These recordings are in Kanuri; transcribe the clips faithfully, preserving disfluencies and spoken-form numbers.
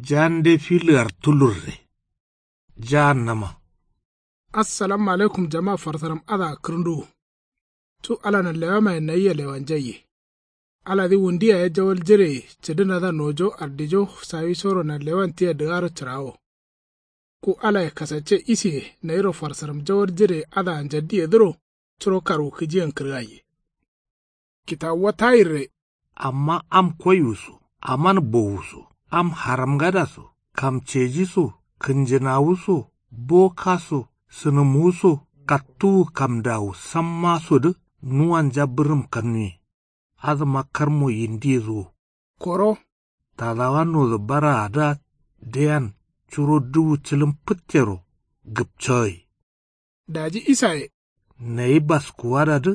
Jande filəar tulurre. Jahannama. Assalamu alaikum jama farsaram adǝa kǝrnduwu. Cu ala nanlewamayen nayia lewanjaiye. Aladǝ wundu yaye jawal jire cǝdǝnadǝa nojo ardijo sawisoro nanlewan tia dǝgaro cǝrawo. Ku alaye kasacce isiye nayiro farsaram jawal jire adǝa njaddiyedǝro curo karwukǝjiyen kǝrgaiye. Kitawuwa tayirre. Amma am koiwuso, aman bowuso, am haramngadaso, kamcejiso, kǝnjǝnawuso, bokaso, sǝnǝmwuso, kattuwu kamdawu sammasodǝ nuwanja bǝrǝm kannuye. Adǝma karmo yindiyesuwo. Koro. Tadawa nodo baraadǝa deyan curo duwu cǝlǝm fǝttero gǝpcogai. Daji isaye. Nayi baskuwadadǝ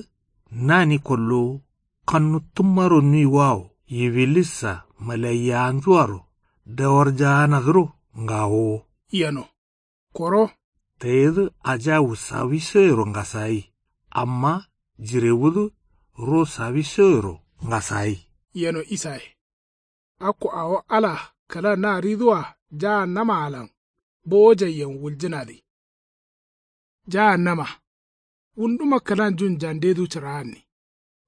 nani kollowo kannu tǝmmaro nuiwawo yibilissa malaiyawanjuaro dawarjaanadǝro ngawowo. Yeno. Koro. Tayedǝ ajawu sawisoyero ngasayi. Amma jirewudǝ ro sawisoyero ngasayi. Yeno isaye. Akko awo ala kǝla na riduwa jahannamaalan bowojaiyen wuljǝnadǝ. Jahannama. Wunduma kǝlanjun jandedu cǝraanni.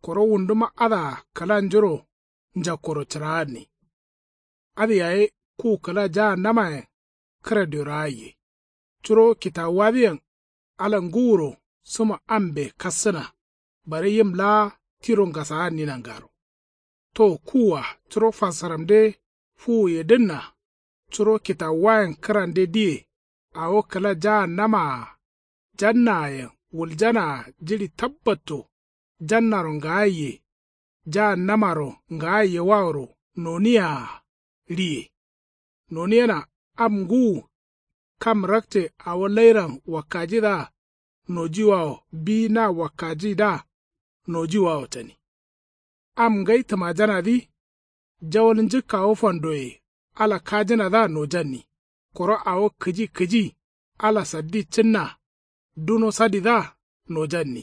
Koro wunduma adǝa kǝlanjuro njakkoro cǝraanni. Adǝ yaye ku kǝla jahannamayen kǝra dioragaiye. Curo kitawuwadǝyen ala ngǝwuro sǝma ambe kassǝna. Bare yim laa tiro ngasaanni nangaro. To kuwua curo farsaramde fuwuyedǝnna. Curo kitawuwayen kǝrande diye awo kǝla jahannamaa jannaayen wuljanaa jiɍi tabbatto jannaro ngaaiye jahannamaro ngaaiye waoro noniyaa riye. Noniyena am ngǝwu kam rakce awo lairan wakkajidǝa nojiwawo biyi na wakkajidǝa nojiwawo cani. Am ngai tǝmajanadǝ jawal njǝkkawo fandoye ala kajǝnadǝa nojanni. Koro awo kǝji kǝji ala saddi cǝnna duno sadidǝa nojanni.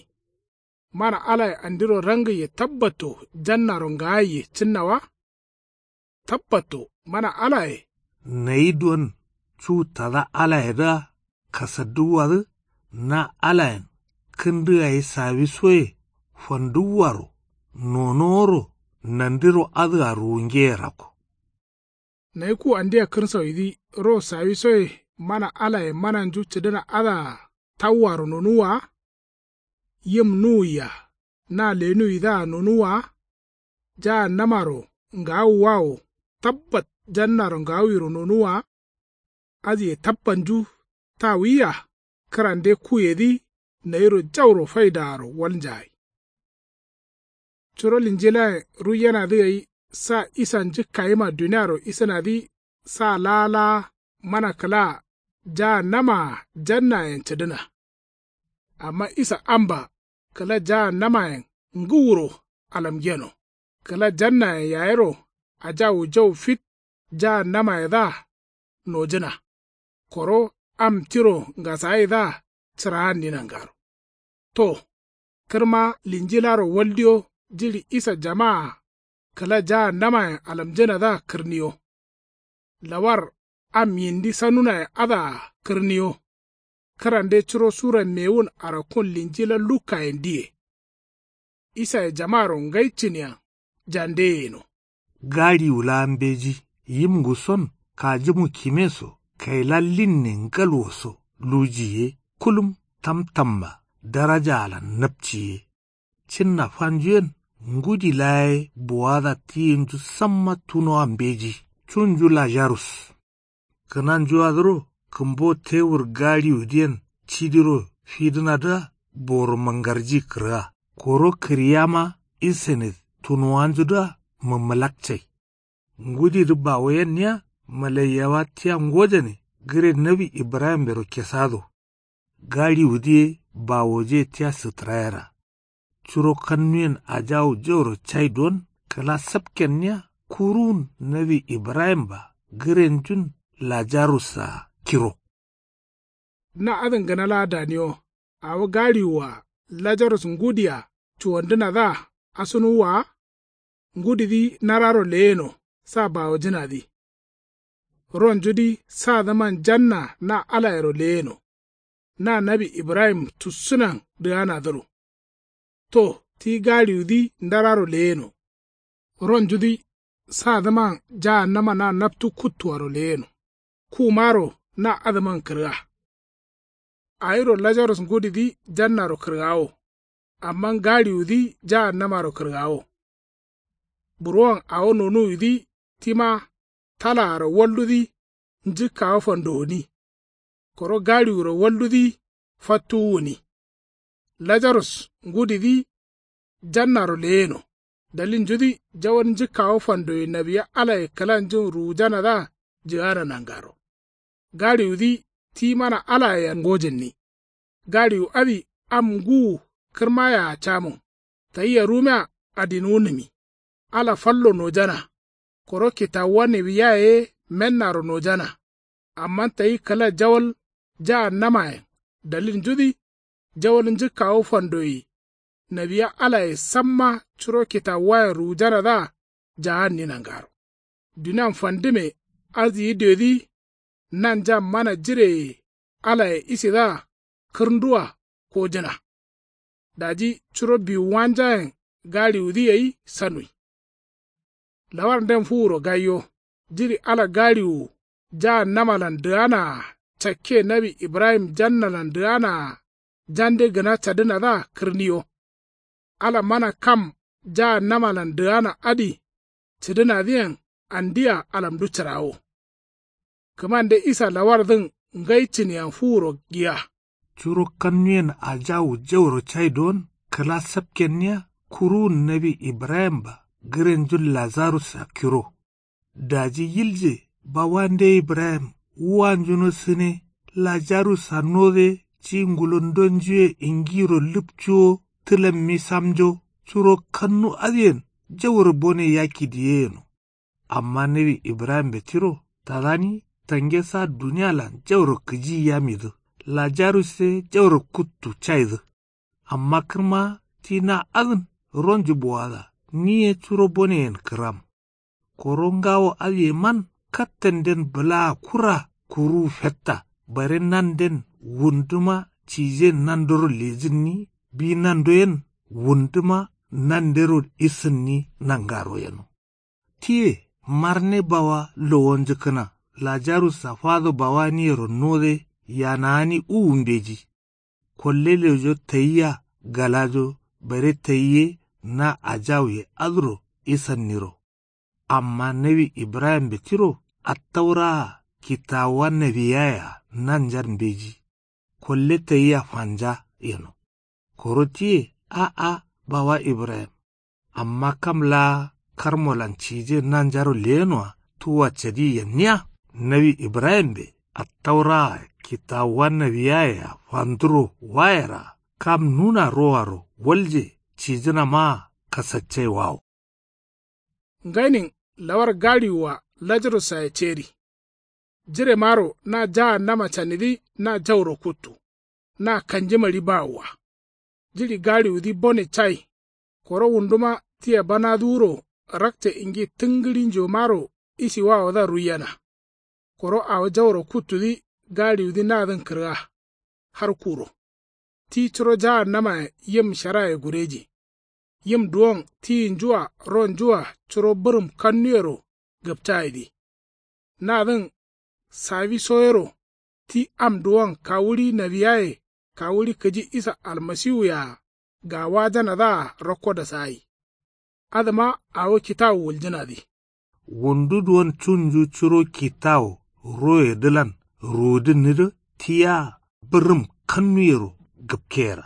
Mana alaye andiro rangǝye tabbatto jannaro ngaaiye cǝnna wa. Tabbatto mana alaye. Nayi don cu tada alayedǝa kasadduwwadǝ na alayen kǝndǝ gai sawisoye fanduwwaro nonoworo nandiro adǝa ruwungeye rakko. Nayi ku andia kǝrsauyidǝ ro sawisoye mana alaye mananju cǝdǝna adǝa tawwaro nonuwwa wa. Yim nuwuiya na lenuwidǝa nonuwwa wa. Jahannamaro ngawuwawo tabbat jannaro ngawuiro nonuwwa wa. Adǝye tabbanju tawuiya kǝrande kuyedǝ nayiro jauro faidaaro walnjagai. Curo linjilayen ruiyenadǝ gai sa isa njǝkkayima duniaro isǝnadǝ sa laa laa mana kǝlaa jahannamaa jannayen cǝdǝna. Amma isa amba kǝla jahannamayen ngǝwuro alamgeno. Kǝla jannayen yayero ajawu jau fit jahannamayedǝa nojǝna. Koro am tiro ngasaidǝa cǝraanni nangaro. To kǝrma linjilaro waldiyo jiɍi isa jamaa kǝla jahannamayen alamjǝnadǝa kǝrniyo. Lawar am yindi sanunaye adǝa kǝrniyo. Kǝrande curo sura mewun arakkun linjila lukkayen diye. Isaye jamaro ngai cǝniyan jandeye yeno. Gaɍiwu laa mbeji yimnguson kajǝmu kime so kaila linne ngalwo so luji ye kulum tamtamma darajaalan napci ye. Cǝnna fanjuyen ngudi laa ye buwada tiyinju samma tunowa mbeji cunju lajarus. Kǝnanjuwadǝro kǝmbo tewur gaɍiwudǝyen cidiro fidǝnadǝa boro mangarji kǝrga koro kǝriyama isenit tunowanjudǝa mǝmǝlakcai. Ngudidǝ bawoyenniya malaiyawa tia ngojane gǝre nawi ibrahimbero kesado. Gaɍiwudǝ ye bawoje tia sǝtǝrayera. Curo kannuyen ajawu jauro cai don kǝla sapkenniya kuruwun nawi ibrahim-a gǝrenjun lajarus-a kiro. Na adǝn gǝna laa daniyo. Awo gaɍiwu-a lajarus ngudia cuwandǝnadǝa asunuwwa wa. Ngudidǝ nararo leyeno sa bawojǝnadǝ. Ronjudǝ sadǝman janna na alayero leyeno. Na nawi ibrahim tusunan dǝganadǝro. To ti gaɍiwudǝ ndararo leyeno. Ronjudǝ sadǝman jahannama na naptu kuttuaro leyeno. Kumaro na adǝman kǝrga. Awiro lajarus ngudidǝ jannaro kǝrgawo. Amma gaɍiwudǝ jahannamaro kǝrgawo. Burowan awo nonuwidǝ tima talaaro waldudǝ njǝkkawo fando gǝni. Koro gaɍiwuro waldudǝ fattuwu gǝni. Lajarus ngudidǝ jannaro leyeno. Dalilnjudǝ jawal njǝkkawo fandoye nawiya alaye kǝlanjun ruwujanadǝa jǝgana nangaro. Gaɍiwudǝ ti mana alayeyen ngojǝnni. Gaɍiwu adǝ am ngǝwu kǝrmayea camun. Tayia rumia adinuwunǝmi. Ala fallo nojana. Koro kitawuwa nawiyaye ye mennaro nojana. Amma tayi kǝla jawal jahannamayen. Dalilnjudǝ jawal njǝkkawo fandoye nawiya alaye samma curo kitawuwayen ruwujanadǝa jaganni nangaro. Dunian fandǝme aziyi diodǝ. Nanjan mana jireye alaye isidǝa kǝrndua kojǝna. Daji curo biwuwanjayen gaɍiwudǝ gai sanwi. Lawar nden fuwuro gaiyo. Jiɍi ala gaɍiwu jahannamalan dǝganaa cakke nawi ibrahim jannalan dǝganaa jande gǝna cadǝnadǝa kǝrniyo. Ala mana kam jahannamalan dǝgana adǝ cǝdǝnadǝyen andia alamdu cǝrawo. Kǝmande isa lawardǝn ngai cǝniyan fuwuro giya. Curo kannuyen ajawu jauro caiduwon kǝla sapkenniya. Kuruwun nawi ibrahimba gǝrenjun lajarus akkiro. Daji yilje bawande ibrahim wuwanjuno sǝne. Lajarusa node ci ngulondonjuye ingiro lǝpcuwo tǝlammi samjo. Curo kannu adǝyen jauro bone yaki diyeyeno. Amma nawi ibrahimbe tiro tadani tange sa dunialan jauro kǝji yamidǝ. Lajarus ye jauro kuttu caidǝ. Amma kǝrma ti na adǝn ronju bowada ni ye curo boneyen kǝram. Koro ngawo adǝyeman kattanden bǝlaa kura kuruwu fetta. Bare nanden wunduma cijen nandoro lejǝnni. Bi nandoyen wunduma nandero isǝnni nangaro yeno. Tiye marne bawa lowonjǝkkǝna. Lajarussa fado bawaniyero node yanagani uwu mbeji. Kolle lejo tayia galajo bare tayi ye na ajawuye adǝro isanniro. Amma nawi ibrahimbe tiro attaura-a kitawuwa nawiyayea nanjan mbeji. Kolle tayia fanja yeno. Koro tiye a'a bawa ibrahim. Amma kam laa karmolan cije nanjaro leyenoa tuwa cadi yenniya. Nawi ibrahimbe attaura-a kitawuwa nawiyayea fanduro wayera kam nuna rowaro walje cijǝnamaa kasaccaiwawo. Ngainin lawar gaɍiwua lajarusaye ceri. Jiremaro na jahannama canidǝ na jauro kuttu. Na kanjimari bawua. Jiɍi gaɍiwudǝ bone cai. Koro wunduma tia banaduwuro rakce ingi tǝngǝɍinjomaro isiwawodǝa ruiyena. Koro awo jauro kuttudǝ gaɍiwudǝ nadǝn kǝrga. Har kuro ti curo jahannamayen yim sharaye gureji. Yim duwon tiyinju-a ronju-a curo bǝrǝm kannuyero gǝpcaidǝ. Nadǝn sawisoyero ti am duwon kawuɍi nawiyaye kawuɍi kǝji isa almasiwuyea gawajanadǝa rokko dasagai. Adǝma awo kitawu wuljǝnadǝ. Wundu duwon cunju curo kitawu royedǝlan ruwudǝnnidǝ tia bǝrǝm kannuyero gǝpkeyera.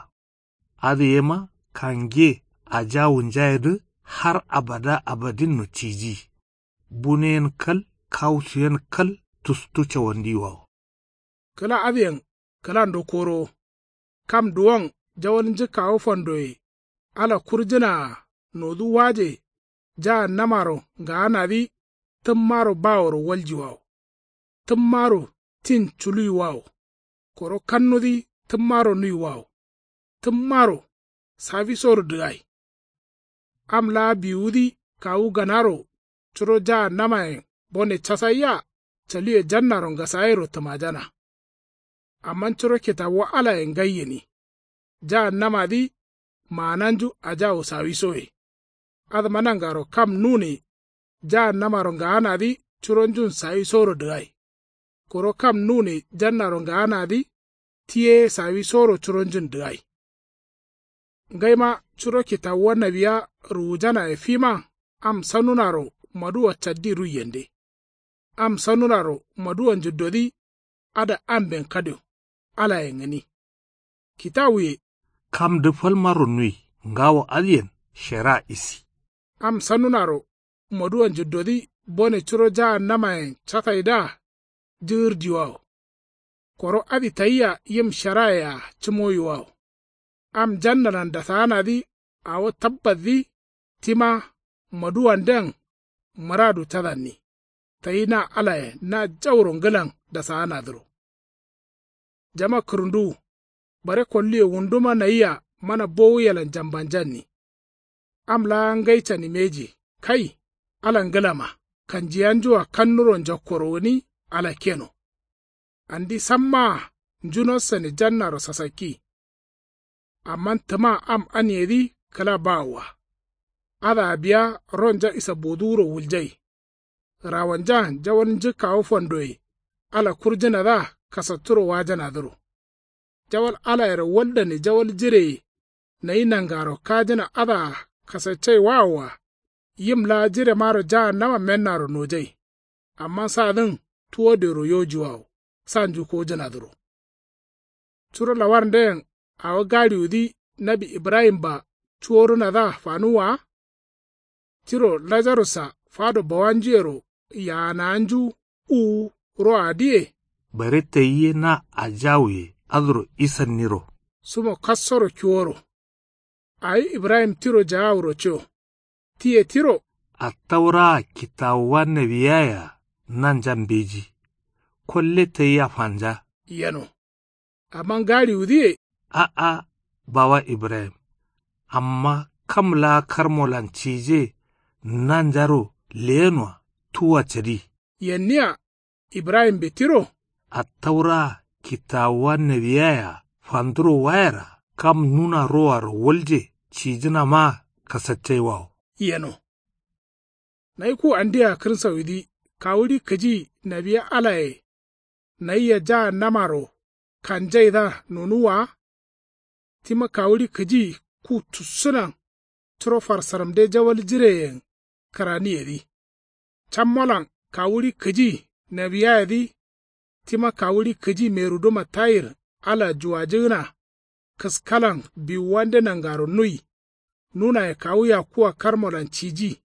Adǝ yema kange ajawunjayedǝ har abada abadinno ciji. Bune yen kal kawu su yen kal tustu cawandiwawo. Kǝla adǝyen kǝlando korowo. Kam duwon jawal njǝkkawo fandoye ala kurjǝnaa nodu waje jahannamaro ngaanadǝ tǝmmaro baworo waljiwawo. Tǝmmaro tin culuiwawo. Koro kannudǝ tǝmmaro nuiwawo. Tǝmmaro sawisoro dǝgai. Am laa biwudǝ kawu gǝnaro curo jahannamayen bone casaiya. caliwe jannaro ngasayeiro tǝmajana. Amma curo kitawuwa alaye ngai gǝni, jahannamadǝ maananju ajawu sawisoye. Adǝma nangaro kam nune jahannamaro ngaanadǝ curonjun sawisoro dǝgai. Koro kam nune jannaro ngaanadǝ ti ye sawisoro curonjun dǝgai. Ngaima curo kitawuwa nawiya ruwujanaye fiman am sanunaro maduwa caddi ruiyende. Am sanunaro maduwa njuddodǝ ada amben kadio alayen gǝni. Kitawuye kamdǝ falmaro nui ngawo adǝyen shera isi. Am sanunaro maduwa njuddodǝ bone curo jahannamayen cataidǝa jǝgǝrdiwawo. Koro adǝ tayia yim sheraye-a cǝmowiwawo. Am jannalan dasaanadǝ awo tabbasdǝ tima maduwanden mǝradu cadanni. Tayi na alaye na jauro ngǝlan dasaanadǝro. Jama kǝrǝnduwu bare kolluye wunduma nayia mana bowuyelan jambanjanni. Am laa ngai cani mbeji kai. Ala ngǝlama kanjiyanjua kannuro njakkoro gǝni ala keno. Andi sammaa njunossani jannaro sasakki. Amma tǝma am aniyedǝ kǝla bawoa. Adǝa biya ronja isaboduwuro wuljai. Rawanjan jawal njǝkkawo fandoye ala kurjǝnadǝa kasatturo wajanadǝro. Jawal alayero waldane jawal jireye nayi nangaro kajǝna adǝa kasaccaiwawoa. Yim laa jiremaro jahannama mennaro nojai. Amma sadǝn tuwo dero yojiwawo sanju kojǝnadǝro. Curo lawarnden awo gaɍiwudǝ nawi ibrahim-a cuworǝnadǝa fanuwwa wa. Tiro lajarus-a fado bawanjuyero yaanaanju uwu roadǝye. Bare tayi ye na ajawuye adǝro isanniro sumo kassoro kiworo. Awi ibrahim tiro jaawuro co. Ti ye tiro attauraa kitawuwa nawiyaye-a nanja mbeji. Kolle tayia fanja yeno. Amma gaɍiwudǝye a'a bawa ibrahim. Amma kam laa karmolan cije nanjaro leyenoa tuwa cadi yenniya. Ibrahimbe tiro attauraa kitawuwa nawiyayea fanduro wayera kam nuna rowaro walje cijǝnama kasaccaiwawo yeno. Nayi ku andia kǝrsawidǝ kawuɍi kǝji nawiya alaye nayia jahannamaro kanjaidǝa nonuwwa wa. Tima kawuɍi kǝji ku tussǝnan curo farsaramde jawal jireyen kǝraniyedǝ. Cammolan kawuɍi kǝji nawiyayedǝ. Tima kawuɍi kǝji meruduma tayir ala juwajǝgǝna kǝskalan biwuwande nangaro nui. Nunaye kawu yakkuwa karmolan ciji.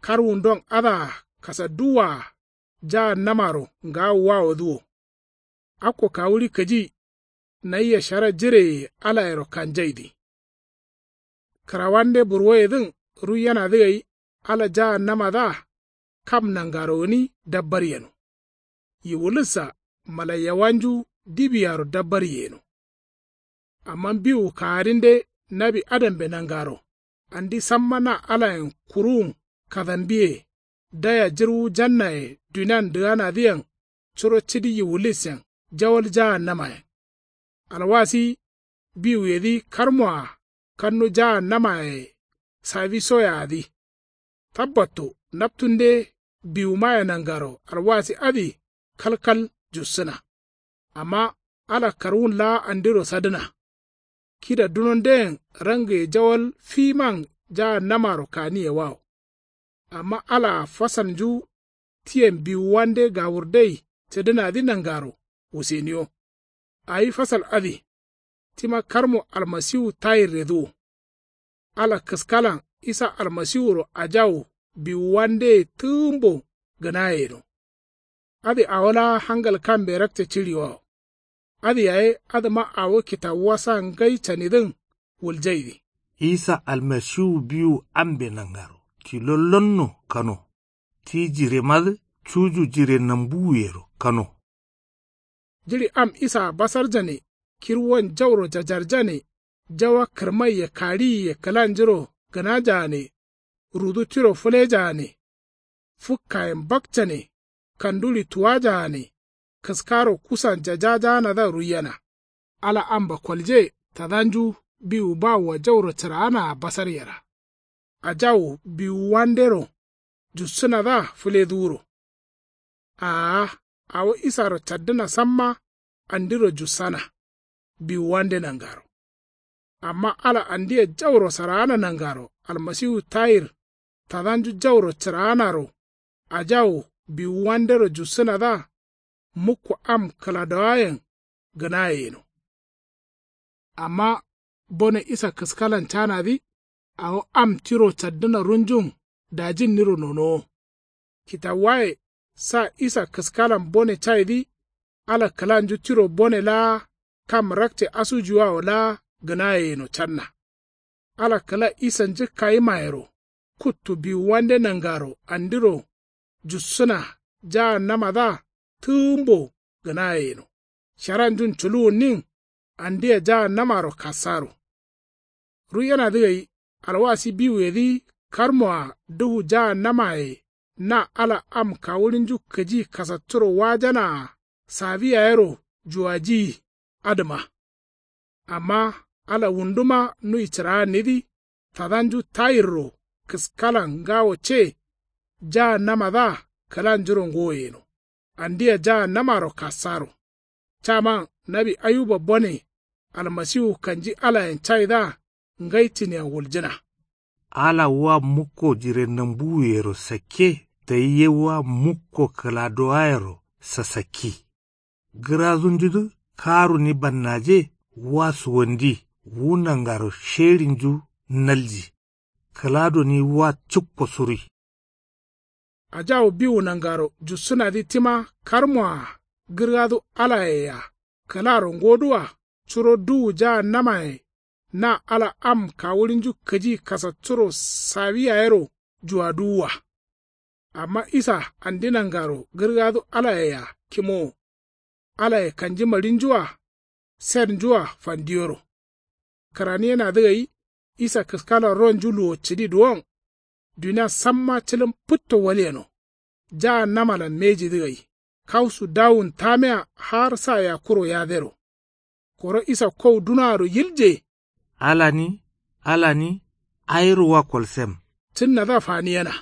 Karwundon adǝa kasadduwwa-a jahannamaro ngaawuwawodǝ wo. Akko kawuɍi kǝji nayia shara jireye alayero kanjaidǝ. Kǝrawande burwoyedǝn ruiyenadǝ gai ala jahannamadǝa kam nangaro gǝni dabbar yeno. Yiwulis-a malaiyawanju dibiaro dabbar yeno. Amma biwu kagarinde nawi adambe nangaro andi samma na alayen kuruwun kadanbiye daya jǝrwu jannaye dunian dǝganadǝyen curo cidi yiwulisen jawal jahannamayen. Alwasi biwuyedǝ karmoa kannu jahannamaye sawisoyeadǝ. Tabbatto naptunde biwumaye nangaro alwasi adǝ kalkal jussǝna. Amma ala karwun laa andiro sadǝna. Kida dunondeyen rangǝye jawal fiman jahannamaro kaniyewawo. Amma alaa fasalnju tiyen biwuwande gawurdai cǝdǝnadǝ nangaro wuseniyo. Awi fasal adǝ tima karmo almasiwu tayirredǝ wo. Ala kǝskalan isa almasiwuro ajawu biwuwandeye tǝgǝmbo gǝnayeno. Adǝ awo laa hangal kambe rakce ciɍiwawo. Adǝ yaye adǝma awo kitawuwa sa ngai canidǝn wuljaidǝ. Isa almasiwu biwu ambe nangaro tilo lonno kano. Ti jiremadǝ cuju jire nambuwuyero kano. Jiɍi am isaa basarjane kirwuwan jauro jajarjane jawa kǝrmaiye kaɍiyiye kǝlanjuro gǝnajaane rudu tiro fǝlejaane. Fǝkkayen bakcane kanduli tuwajagane kǝskaro kusan jajajaanadǝa ruiyena. Ala amba kolje tadanju biwu bawoa jauro cǝraanaa basar yera. Ajawu biwuwandero jussǝnadǝa fǝleduwuro. Aa awo isaro caddǝna samma andiro jussana biwuwande nangaro. Amma ala andia jauro saraana nangaro almasiwu tayir tadanju jauro cǝraanaro ajawu biwuwandero jussǝnadǝa mukko am kǝladowayen gǝnaye yeno. Amma bone isa kǝskalan canadǝ awo am tiro caddǝna runjun dajinniro nonowo. Kitawuwaye sa isa kǝskalan bone caidǝ ala kǝlanju tiro bone laa kam rakce asujuwawo laa gǝnaye yeno canna. Ala kǝla isa njǝkkayimayero kuttu biwuwande nangaro andiro jussǝna jahannamadǝa tǝgǝmbo gǝnaye yeno. Sharanjun culuwunnin andia jahannamaro kassaro. Ruyenadǝ gai alwasi biwuyedǝ karmoa duwu jahannamaye na ala am kawuɍinju kǝji kasatturo wajanaa sawi yayero juwajiyi adǝma. Amma ala wunduma nui cǝraannidǝ tadanju tayirro kǝskalan ngawo ce jahannamadǝa kǝlanjuro ngowo yeno. Andia jahannamaro kassaro. Caman nawi ayuba bone almasiwu kanji alayen caidǝa ngai cǝniyen wuljǝna. Ala wa mukko jirenambuwuyero sakke dayi ye wa mukko kǝladowayero sasakki. Gǝradunjudǝ karuni bannaje wa suwandi wu nangaro sheɍinju nalji. Kǝladoni wa cǝkko surui. Ajawu biwu nangaro jussǝnadǝ tima karmoa gǝrgadu alayea kǝlaro ngoduwa curo duwu jahannamaye na ala am kawuɍinju kǝji kasatturo sawi yayero juwaduwwa. Amma isa andi nangaro gǝrgadu alayea kimowo. Alaye kanji maɍinjua sernjua fandiyoro. Kǝraniyenadǝ gai isa kǝskalan ronju luwo cǝdi duwon. Dunia samma cǝlǝm pǝtto walyeno. Jahannamalan mejidǝ gai kausu dawun tamea har sa yakkuro yadero. Koro isa kowu dunoaro yilje. Alani alani. Ayiro wa kolsem. Cǝnnadǝa faniyena.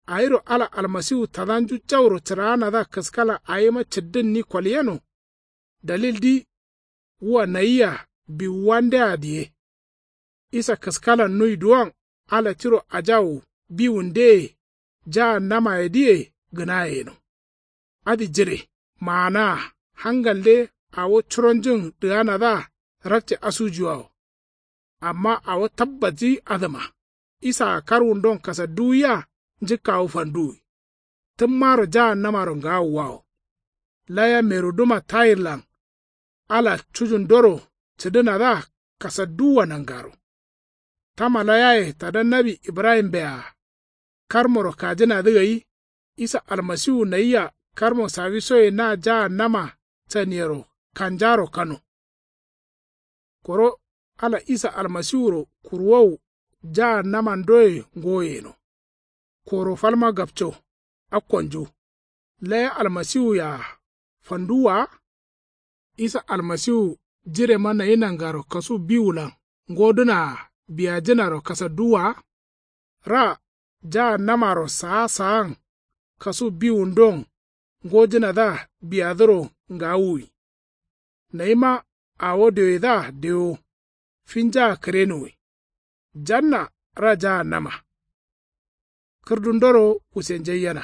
Awiro ala almasiwu tadanju jauro cǝraanadǝa kǝskalan awima cǝddǝnni kolyeno. Dalildi wua nayia biwuwandea diye. Isa kǝskalan nui duwon ala tiro ajawu biwundeye jahannamayedǝye gǝnaye yeno. Adǝ jire maanaa hangalde awo curonjun dǝganadǝa rakce asujuwawo. Amma awo tabbasdǝ adǝma isaa karwundon kasadduwia njǝkkawu fanduwi. Tǝmmaro jahannamaro ngawuwawo. Laya meruduma tayirlan ala cujundoro cǝdǝnadǝa kasadduwwa nangaro. Tama layaye tada nawi ibrahimbe-a karmoro kajǝnadǝ gai isa almasiwu nayia karmo sawisoye na jahannama caniyero kanjaro kano. Koro ala isa almasiwuro kurwowu jahannamandoye ngoye yeno. Koro falma gapco akkonju. Laya almasiwuye-a fanduwwa wa. Isa almasiwu jirema nayi nangaro kasu biwulan ngodǝnaa biyajǝnaro kasadduwwa wa. Ra jahannamaro saa saan kasu biwundon ngojǝnadǝa biyadǝro ngawuwi. Nayima awo dewedǝa dewo finjaa kǝrenuwi. Janna ra jahannama. Kǝrdundoro wusenjaiyena.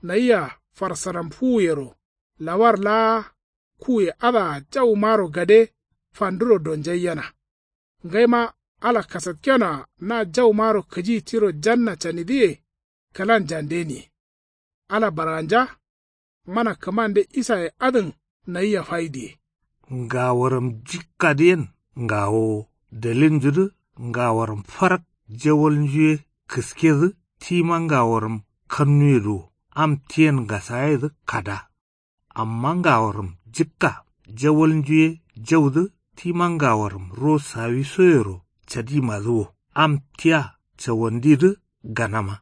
Nayia farsaram fuwuyero lawar laa kuye adǝa jaumaro gade fanduro donjaiyena. Ngaima ala kasatkenoa na jaumaro kǝji tiro janna canidǝye kǝlan jandeniye. Ala barganja mana kǝmande isaye adǝn nayia faidiye. Ngaworam jikkadǝyen ngawowo dalilnjudǝ ngaworam farak jawalnju ye kǝskedǝ tima ngaworam kannuyedu wo am tiyen ngasayedǝ kada. Amma ngaworam jǝkka jawalnju ye jaudǝ tima ngaworam ro sawisoyero cadimadǝ wo am tia cawandidǝ ganama.